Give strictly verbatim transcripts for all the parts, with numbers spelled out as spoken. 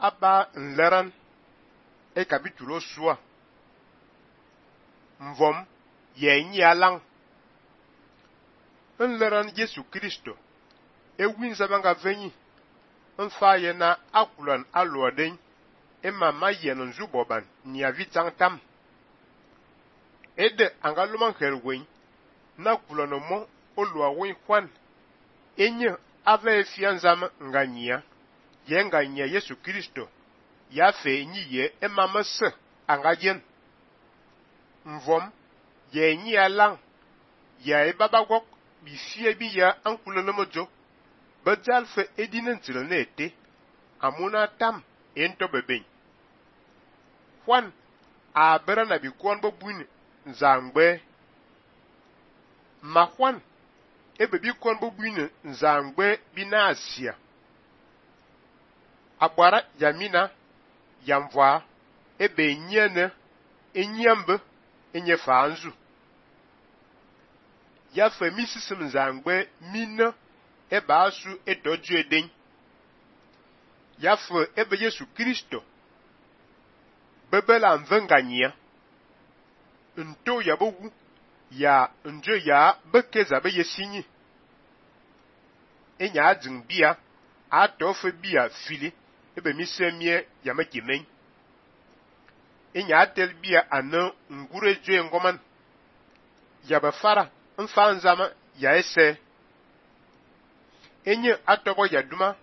aba nleran e kapitulo sua. Mvom ye nyi alang. Nleran Yesu Kristo e winza banga venyi. Nfa ye na akulan alwaden e mama yen nzuboban ni avitang tam. Ede angaluman herwen na kulano mo olwa wen kwan. Enye ave fianzam nganyia. Ye nganyia Yesu Kristo. Ya fe nyi ye e mama se angajen. Mvom ye nyi alang. Ya e babagok bi fie bi ya ankulano mojo. Bajal fe edinen tilne ete. Amuna tam ento beben. Kwan a bera na bi kwan bo buin nzangbe. Ma kwan ebe bi kwan bo buin nzangbe bi na asia. Abwara yamina yamvwa ebe nyene enyambe enye fanzu. Ya fe misisim nzangbe mina eba asu edoju eden. Ya fe ebe Yesu Kristo bebela mvenganyia. Nto ya bogu ya njo ya bekeza be yesinyi. Enya ading bia atofe bia fili ebe misemie ya mekimen. Enya atel bia ane ngure joe ngoman. Ya befara mfa nzama ya ese. Enye atobo ya duma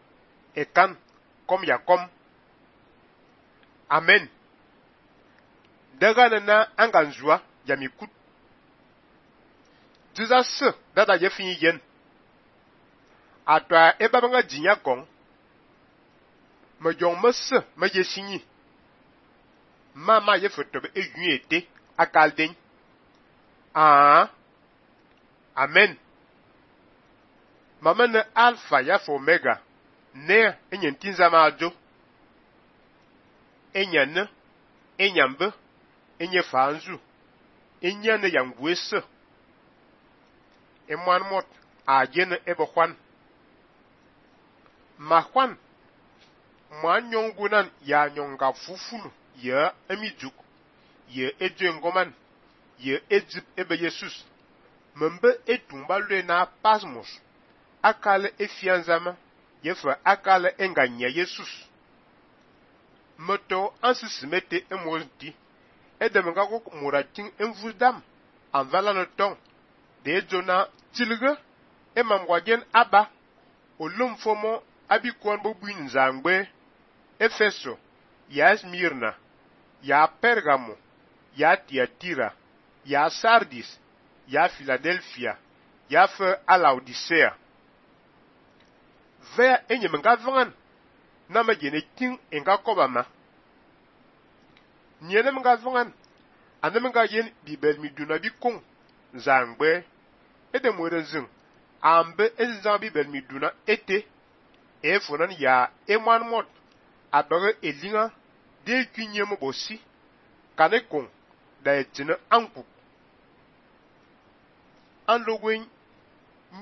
ekan kom ya kom. Amen. Daga na anganzua ya mikut. Diza se dada ye finyi yen. Atwa eba banga jinya kong. Me jong me se me ye sinyi. Mama ye fotobe e yun ete akalden. Ah. Amen. Mama ne alpha ya fo omega. Ne enye ntinza ma ajo. Enya ne. Enya mbe. Enye fanzu. Enya ne yangwese. Emwan mot a jene ebe kwan. Ma kwan. Mwan nyongunan ya nyonga fufulu. Ye emijuk. Ye eje ngoman. Ye ejip ebe Jesus. Membe etumba lue na pasmos. Akale efianzama. Yefa akale enganya Jesus. Moto ansisimete emolti. Edemanga kok murating envudam. Anvala no tong. De jona tilge. Emamwagen aba. Olum fomo abikwan bobuin zangbe. Efeso. Ya Smirna. Ya Pergamo. Ya Tiatira. Ya Sardis. Ya Philadelphia. Ya fe a Laodicea. Vea enye menga vangan. Na me jene ting enga kobama. Nyene menga vangan. Ane menga yen bibel mi duna bi kong. Zangbe. Ede mwere zing. Ambe ezan bibel mi duna ete. E fonan ya emwan mot. Abere elinga. De kunye mbosi. Kane kong. Da etine ankup. An logwen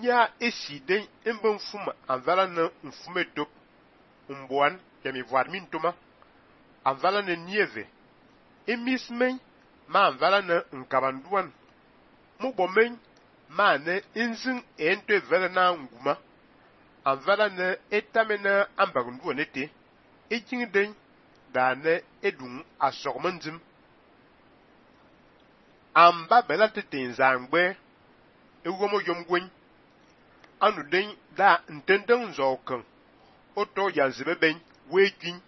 nya esi den embe mfuma anvala na mfume top mboan ya mi voar mintoma anvala na nieve emis men ma anvala na nkabanduan mubo men ma ne inzin ente vele na nguma anvala na etame na ambagundu nete ejing den da ne edun asogmandim amba bela tete nzangbe ewomo yomgwen anu den da ntenden nzokan oto yanzibe ben wejin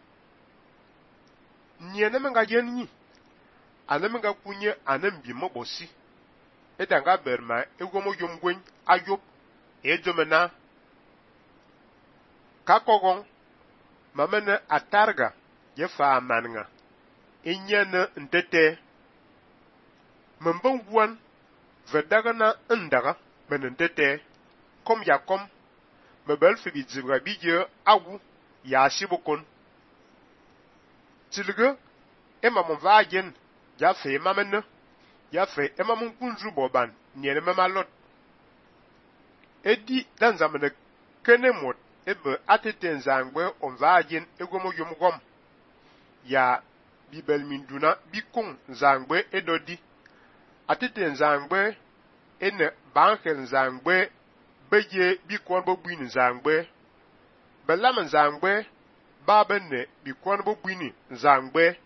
nyene menga yenyi anamenga kunye anembi mobosi edanga berma ewomo yomgwen ayop ejomena kakogon mamene atarga yefa amanga enyene ntete membon buan vedaga na ndaga menentete kom ya kom mebel fibi zibra bije awu ya shibukon tilge ema mon vagen ya fe mamene ya fe ema mon kunju boban nyene mamalot edi danzamene kenemot ebe atete nzangbe on vagen egomo yumgom ya bibel minduna bikung nzangbe edodi. Atete nzangbe ene banker nzangbe beje bikon bo bwini nzangbe. Belam nzangbe ba benne bikon bo bwini nzangbe